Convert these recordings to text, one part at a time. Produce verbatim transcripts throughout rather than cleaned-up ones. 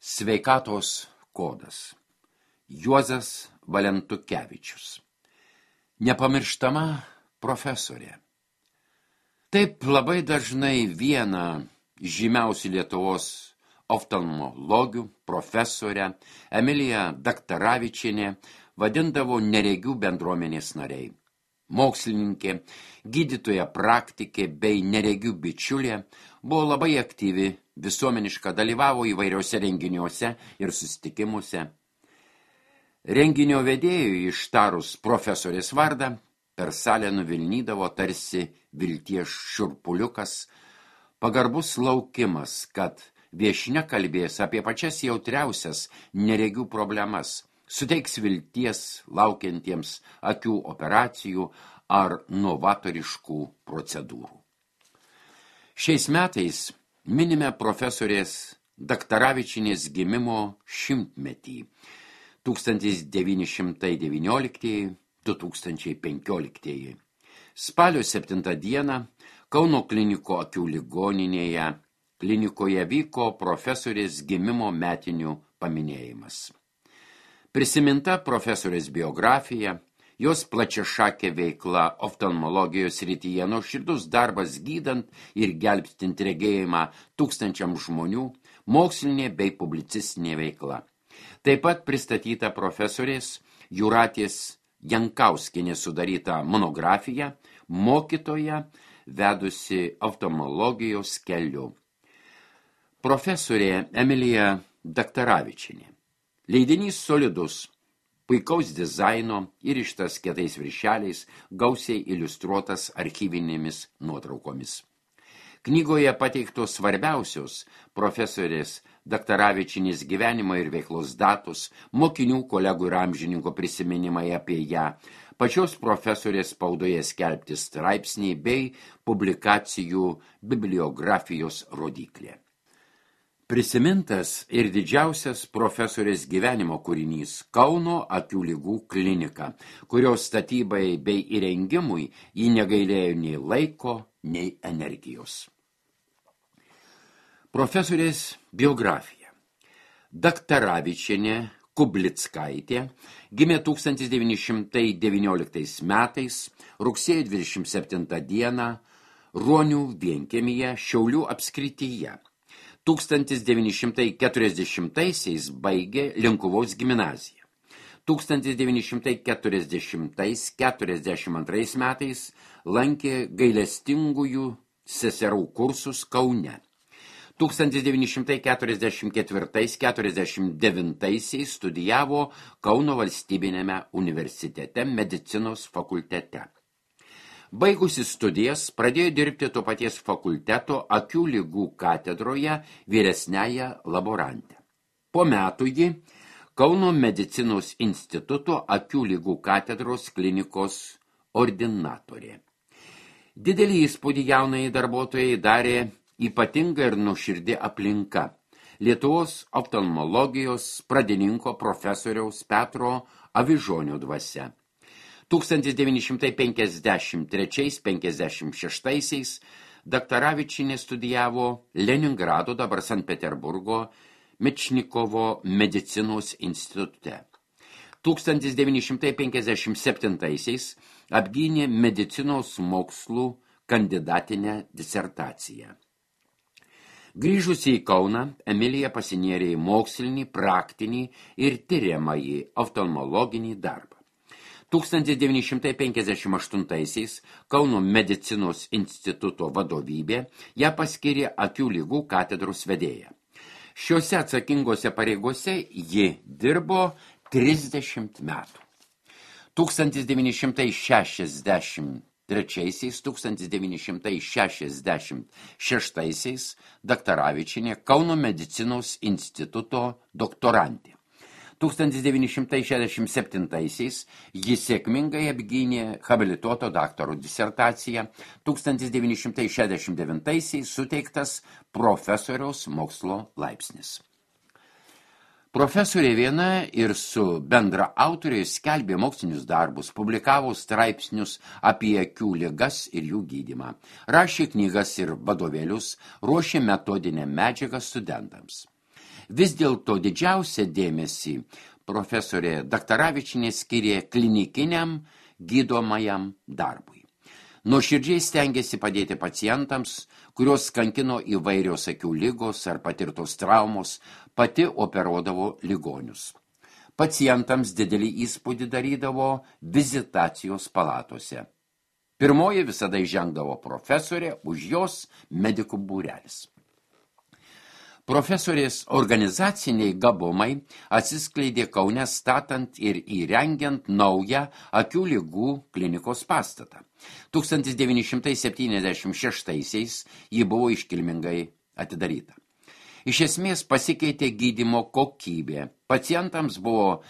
Sveikatos kodas. Juozas Valentukevičius. Nepamirštama profesorė. Taip labai dažnai vieną žymiausių Lietuvos oftalmologių profesorę Emiliją Daktaravičienę vadindavo neregių bendruomenės nariai. Mokslininkė, gydytoja praktikė bei neregių bičiulė buvo labai aktyvi, visuomeniška, dalyvavo įvairiuose renginiuose ir susitikimuose. Renginio vedėjui ištarus profesorės vardą per salę nuvilnydavo tarsi vilties šiurpuliukas, pagarbus laukimas, kad viešnia kalbės apie pačias jautriausias neregių problemas, suteiks vilties laukiantiems akių operacijų ar novatoriškų procedūrų. Šiais metais minime profesorės Daktaravičienės gimimo šimtmetį tūkstantis devyni šimtai devynioliktieji - du tūkstančiai penkioliktieji. Spalio septintą dieną Kauno kliniko akių ligoninėje klinikoje vyko profesorės gimimo metinių paminėjimas. Prisiminta profesorės biografija, jos plačiašakė veikla oftalmologijos srityje, nuoširdus darbas gydant ir gelbstint regėjimą tūkstančiam žmonių, mokslinė bei publicistinė veikla. Taip pat pristatyta profesorės Jūratės Jankauskienės sudaryta monografija Mokytoja vedusi oftalmologijos keliu. Profesorė Emilija Daktaravičienė. Leidinys solidus, puikaus dizaino, įrištas kietais viršeliais, gausiai iliustruotas archyvinėmis nuotraukomis. Knygoje pateiktos svarbiausios profesorės Daktaravičienės gyvenimo ir veiklos datos, mokinių, kolegų ir amžininko prisiminimai apie ją, pačios profesorės spaudoje skelbti straipsniai bei publikacijų bibliografijos rodiklė. Prisimintas ir didžiausias profesorės gyvenimo kūrinys Kauno akių ligų klinika, kurios statybai bei įrengimui ji negailėjo nei laiko, nei energijos. Profesorės biografija. Daktaravičienė Kublickaitė gimė tūkstantis devyni šimtai devynioliktais metais rugsėjo dvidešimt septintą dieną Ruonių vienkiemyje Šiaulių apskrityje. tūkstantis devyni šimtai keturiasdešimtaisiais baigė Linkuvos gimnaziją. tūkstantis devyni šimtai keturiasdešimtais - keturiasdešimt antrais metais lankė gailestingųjų seserų kursus Kaune. tūkstantis devyni šimtai keturiasdešimt ketvirtais - keturiasdešimt devintaisiais studijavo Kauno valstybiniame universitete medicinos fakultete. Baigusi studijas, pradėjo dirbti to paties fakulteto akių ligų katedroje vyresniąją laborantę. Po metų ji Kauno medicinos instituto akių ligų katedros klinikos ordinatorė. Didelį įspūdį jaunai darbuotojai darė ypatinga ir nuoširdi aplinka. Lietuvos oftalmologijos pradininko profesoriaus Petro Avižonio dvasia. tūkstantis devyni šimtai penkiasdešimt trečiais - penkiasdešimt šeštaisiais Daktaravičienė studijavo Leningrado, dabar Sankt Peterburgo, Mečnikovo medicinos institute. tūkstantis devyni šimtai penkiasdešimt septintaisiais apgynė medicinos mokslų kandidatinę disertaciją. Grįžusi į Kauną, Emilija pasinėrė į mokslinį, praktinį ir tiriamąjį oftalmologinį darbą. tūkstantis devyni šimtai penkiasdešimt aštuntaisiais Kauno medicinos instituto vadovybė ją paskyrė akių ligų katedros vedėja. Šiuose atsakingose pareigose ji dirbo trisdešimt metų. tūkstantis devyni šimtai šešiasdešimt trečiaisiais - tūkstantis devyni šimtai šešiasdešimt šeštaisiais Daktaravičienė Kauno medicinos instituto doktorantė. tūkstantis devyni šimtai šešiasdešimt septintaisiais ji sėkmingai apgynė habilituoto daktaro disertaciją, tūkstantis devyni šimtai šešiasdešimt devintaisiais suteiktas profesoriaus mokslo laipsnis. Profesorė viena ir su bendra autoriais skelbė mokslinius darbus, publikavo straipsnius apie akių ligas ir jų gydymą, rašė knygas ir vadovėlius, ruošė metodinę medžiagą studentams. Vis dėlto didžiausią dėmesį profesorė Daktaravičienė skyrė klinikiniam gydomajam darbui. Nuoširdžiai stengėsi padėti pacientams, kurios kankino įvairios akių ligos ar patirtos traumos, pati operuodavo ligonius. Pacientams didelį įspūdį darydavo vizitacijos palatose. Pirmoji visada įžengdavo profesorė, už jos medikų būrelis. Profesorės organizaciniai gabumai atsiskleidė Kaune statant ir įrengiant naują akių ligų klinikos pastatą. tūkstantis devyni šimtai septyniasdešimt šeštaisiais ji buvo iškilmingai atidaryta. Iš esmės pasikeitė gydymo kokybė. Pacientams buvo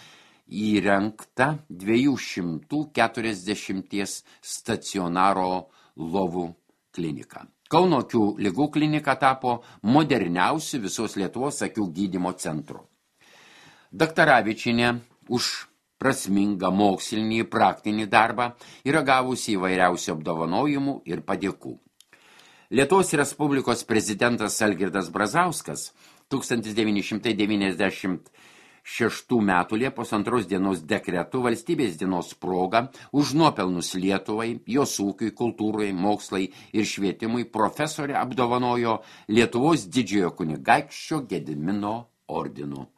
įrengta dviejų šimtų keturiasdešimties stacionaro lovų klinika. Kauno akių ligų klinika tapo moderniausiu visos Lietuvos akių gydymo centru. Daktaravičienė už prasmingą mokslinį praktinį darbą yra gavusi įvairiausių apdovanojimų ir padėkų. Lietuvos Respublikos prezidentas Algirdas Brazauskas tūkstantis devyni šimtai devyniasdešimt šeštų metų Liepos antros dienos dekretu valstybės dienos proga už nuopelnus Lietuvai, jos ūkiui, kultūrai, mokslai ir švietimui profesorė apdovanojo Lietuvos didžiojo kunigaikščio Gedimino ordinu.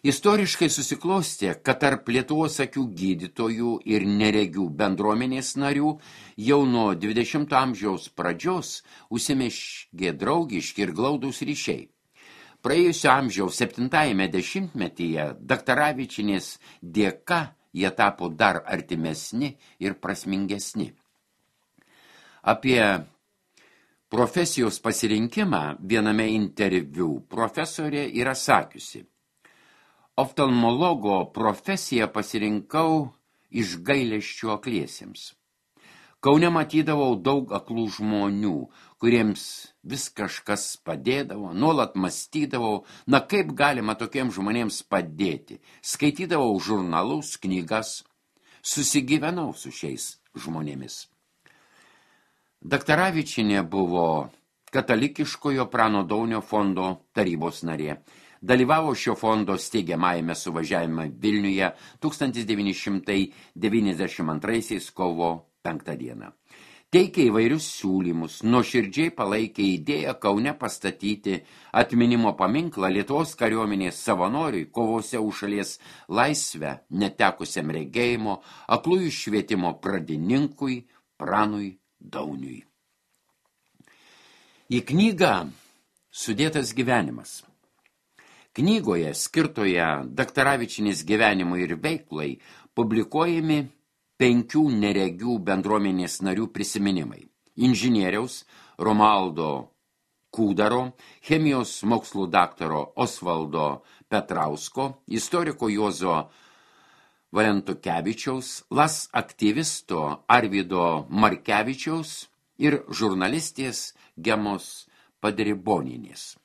Istoriškai susiklostė, kad tarp Lietuvos akių gydytojų ir neregių bendruomenės narių jau nuo dvidešimto amžiaus pradžios užsimezgė draugiški ir glaudūs ryšiai. Praėjusio amžiaus septintajame dešimtmetyje Daktaravičienės dėka jie tapo dar artimesni ir prasmingesni. Apie profesijos pasirinkimą viename interviu profesorė yra sakiusi: oftalmologo profesiją pasirinkau iš gailesčio akliesiems. Kaune matydavau daug aklų žmonių, kuriems vis kažkas padėdavo, nuolat mąstydavau, na kaip galima tokiems žmonėms padėti. Skaitydavau žurnalus, knygas, susigyvenau su šiais žmonėmis. Daktaravičienė buvo katalikiškojo Prano Daunio fondo tarybos narė. Dalyvavo šio fondo steigiamajame suvažiavime Vilniuje tūkstantis devyni šimtai devyniasdešimt antraisiais kovo penktą dieną. Teikė įvairius siūlymus, nuoširdžiai palaikė idėją Kaune pastatyti atminimo paminklą Lietuvos kariuomenės savanoriui kovose už šalies laisvę, netekusiam regėjimo, aklųjų švietimo pradininkui Pranui Dauniui. Į knygą sudėtas gyvenimas. Knygoje, skirtoje Daktaravičienės gyvenimui ir veiklai, publikuojami penkių neregių bendruomenės narių prisiminimai. Inžinieriaus Romualdo Kūdaro, chemijos mokslų daktaro Osvaldo Petrausko, istoriko Juozo Valentukevičiaus, las aktyvisto Arvydo Markevičiaus ir žurnalistės Gemos Padriboninės.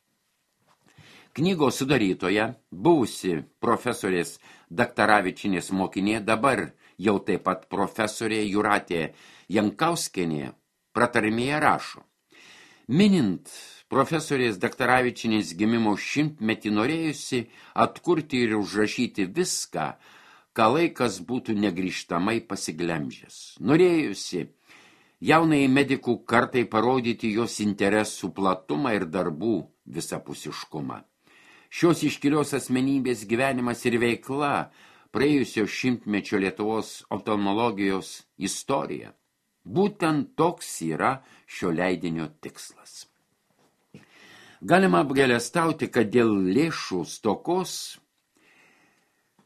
Knygos sudarytoja, buvusi profesorės Daktaravičienės mokinė, dabar jau taip pat profesorė Jūratė Jankauskienė pratarmėje rašo: minint profesorės Daktaravičienės gimimo šimtmetį norėjusi atkurti ir užrašyti viską, ką laikas būtų negrįžtamai pasiglemžęs. Norėjusi jaunai medikų kartai parodyti jos interesų platumą ir darbų visapusiškumą. Šios iškilios asmenybės gyvenimas ir veikla praėjusio šimtmečio Lietuvos oftalmologijos istorija. Būtent toks yra šio leidinio tikslas. Galima apgailestauti, kad dėl lėšų stokos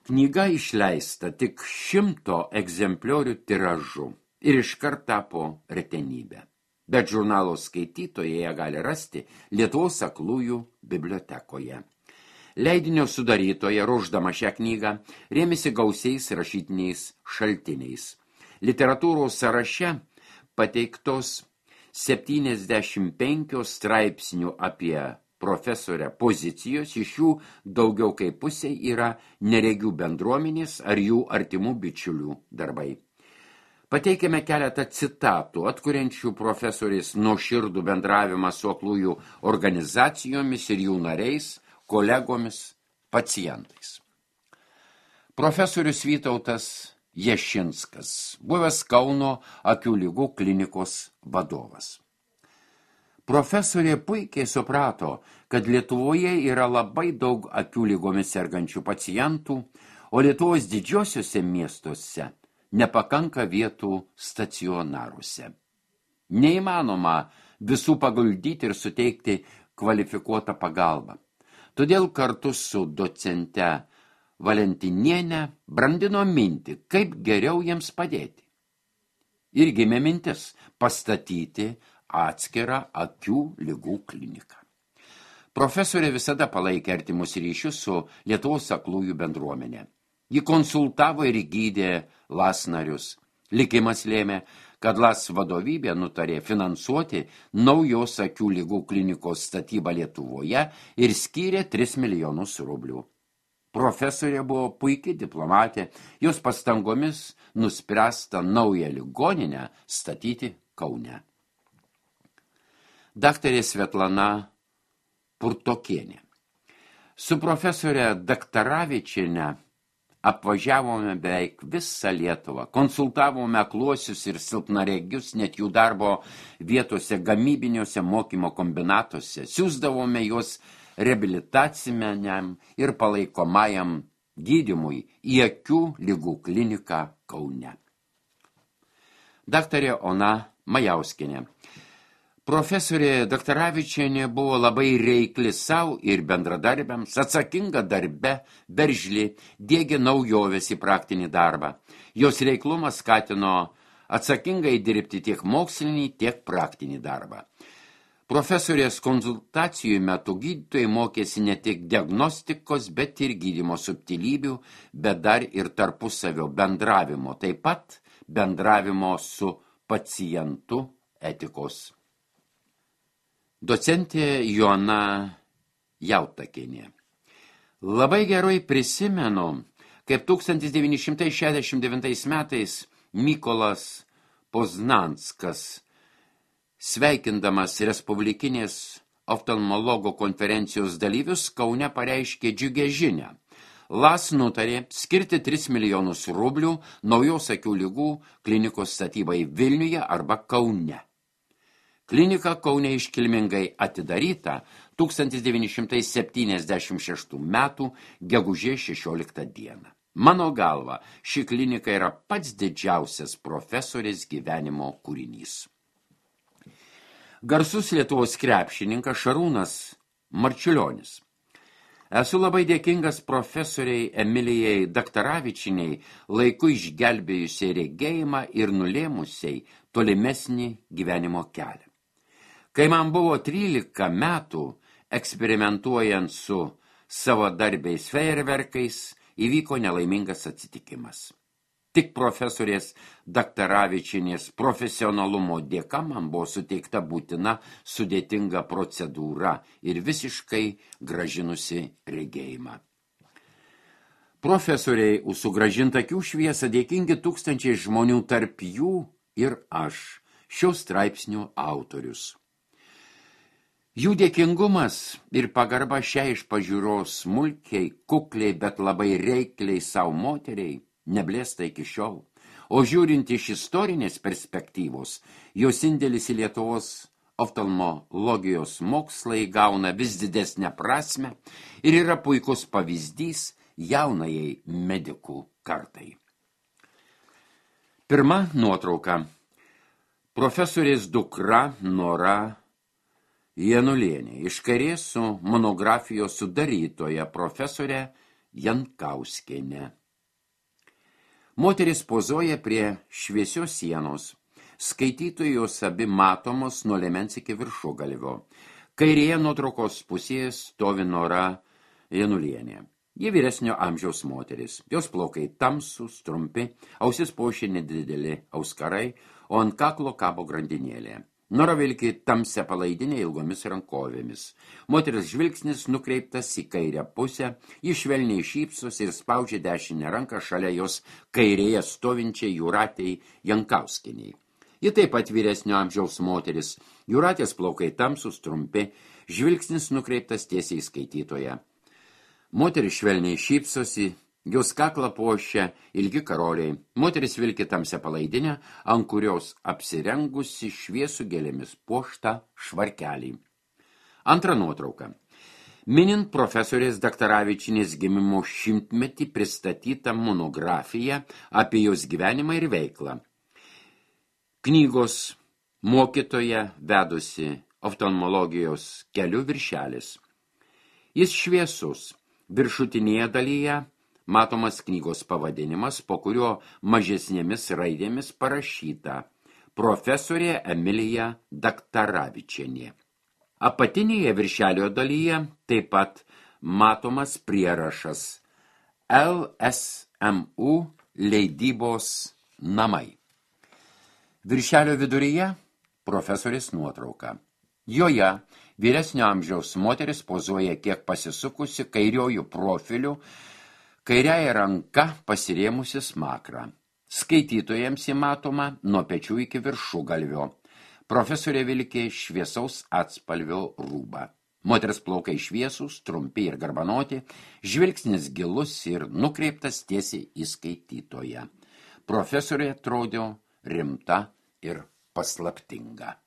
knyga išleista tik šimto egzempliorių tiražu ir iškart tapo retenybė. Bet žurnalo skaitytojai ją gali rasti Lietuvos aklųjų bibliotekoje. Leidinio sudarytoja, ruošdama šią knygą, rėmėsi gausiais rašytiniais šaltiniais. Literatūros sąraše pateiktos septyniasdešimt penkios straipsnių apie profesorę pozicijos, iš jų daugiau kaip pusė yra neregių bendruomenės ar jų artimų bičiulių darbai. Pateikėme keletą citatų, atkuriančių profesorės nuoširdų bendravimą su aklųjų organizacijomis ir jų nariais, kolegomis, pacientais. Profesorius Vytautas Ješinskas, buvęs Kauno akių ligų klinikos vadovas. Profesorė puikiai suprato, kad Lietuvoje yra labai daug akių lygomis sergančių pacientų, o Lietuvos didžiosiuose miestuose nepakanka vietų stacionaruose. Neįmanoma visų paguldyti ir suteikti kvalifikuotą pagalbą. Todėl kartu su docente Valentinienė brandino mintį, kaip geriau jiems padėti. Ir gimė mintis pastatyti atskirą akių ligų kliniką. Profesorė visada palaikė artimus ryšius su Lietuvos aklųjų bendruomenė. Ji konsultavo ir gydė L A S narius. Likimas lėmė, kad L A S vadovybė nutarė finansuoti naujos akių ligų klinikos statybą Lietuvoje ir skyrė tris milijonus rublių. Profesorė buvo puikiai diplomatė, jos pastangomis nuspręsta naują ligoninę statyti Kaune. Daktarė Svetlana Purtokienė. Su profesorė Daktaravičiene apvažiavome beveik visą Lietuvą, konsultavome akluosius ir silpnaregius net jų darbo vietose gamybiniuose mokymo kombinatuose, siųsdavome juos reabilitaciniam ir palaikomajam gydymui į akių ligų kliniką Kaune. Daktarė Ona Majauskienė. Profesorė Daktaravičienė buvo labai reikli savo ir bendradarbiams, atsakinga darbe, veržli, diegė naujoves į praktinį darbą. Jos reiklumas skatino atsakingai dirbti tiek mokslinį, tiek praktinį darbą. Profesorės konsultacijų metu gydytojai mokėsi ne tik diagnostikos, bet ir gydymo subtilybių, bet dar ir tarpusavio bendravimo, taip pat bendravimo su pacientu etikos. Docentė Joana Jautakienė. Labai gerai prisimenu, kaip tūkstantis devyni šimtai šešiasdešimt devintais metais Mykolas Poznanskas, sveikindamas Respublikinės oftalmologo konferencijos dalyvius, Kaune pareiškė džiugią žinią. L A S nutarė skirti tris milijonus rublių naujos akių ligų klinikos statybai Vilniuje arba Kaune. Klinika Kaune iškilmingai atidaryta tūkstantis devyni šimtai septyniasdešimt šeštų metų gegužės šešioliktą dieną. Mano galva, ši klinika yra pats didžiausias profesorės gyvenimo kūrinys. Garsus Lietuvos krepšininkas Šarūnas Marčiulionis. Esu labai dėkingas profesoriai Emilijai Daktaravičiniai, laiku išgelbėjusiai regėjimą ir nulėmusiai tolimesnį gyvenimo kelią. Kai man buvo trylika metų, eksperimentuojant su savo darbiais fejerverkais, įvyko nelaimingas atsitikimas. Tik profesorės Daktaravičinės profesionalumo dėka man buvo suteikta būtina sudėtinga procedūra ir visiškai gražinusi regėjimą. Profesoriai už sugrąžintą akių šviesą dėkingi tūkstančiai žmonių, tarp jų ir aš, šio straipsnio autorius. Jų dėkingumas ir pagarba šiai iš pažiūros smulkiai, kukliai, bet labai reikliai savo moteriai neblėsta iki šiol, o žiūrint iš istorinės perspektyvos, jos indėlis į Lietuvos oftalmologijos mokslą įgauna vis didesnę prasmę ir yra puikus pavyzdys jaunajai medikų kartai. Pirma nuotrauka. Profesorės dukra Nora Janulienė, iš kairės su monografijos sudarytoja profesorė Jankauskienė. Moteris pozuoja prie šviesios sienos. Skaitytojos abi matomos nuo liemens iki viršugalvio. Kairėje nuotraukos pusėje stovi Nora Janulienė. Ji vyresnio amžiaus moteris. Jos plaukai tamsūs, trumpi, ausis puošia nedideli auskarai, o ant kaklo kabo grandinėlė. Nora vilki tamsią palaidinę ilgomis rankovėmis. Moteris žvilgsnis nukreiptas į kairę pusę, ji švelniai šypsos ir spaudžia dešinę ranką šalia jos kairėje stovinčiai Jūratei Jankauskienei. Ji taip pat vyresnio amžiaus moteris. Jūratės plaukai tamsūs, trumpi, žvilgsnis nukreiptas tiesiai į skaitytoją. Moteris švelniai šypsosi, jos kaklą puošia ilgi karoliai. Moteris vilki tamsią palaidinę, ant kurios apsirengusi šviesų gėlėmis puoštą švarkelį. Antra nuotrauka. Minint profesorės Daktaravičienės gimimo šimtmetį pristatyta monografija apie jos gyvenimą ir veiklą. Knygos mokytoja vedusi oftalmologijos keliu viršelis. Jis šviesus. Viršutinėje dalyje matomas knygos pavadinimas, po kurio mažesnėmis raidėmis parašyta profesorė Emilija Daktaravičienė. Apatinėje viršelio dalyje taip pat matomas prierašas L S M U leidybos namai. Viršelio viduryje profesorės nuotrauka. Joje vyresnio amžiaus moteris pozuoja kiek pasisukusi kairiojų profiliu, kairiaja ranka pasirėmusi smakrą. Skaitytojams įmatoma nuo pečių iki viršugalvio. Profesorė vilkė šviesaus atspalvio rūbą. Moters plaukai šviesūs, trumpi ir garbanoti, žvilgsnis gilus ir nukreiptas tiesiai į skaitytoją. Profesorė atrodė rimta ir paslaptinga.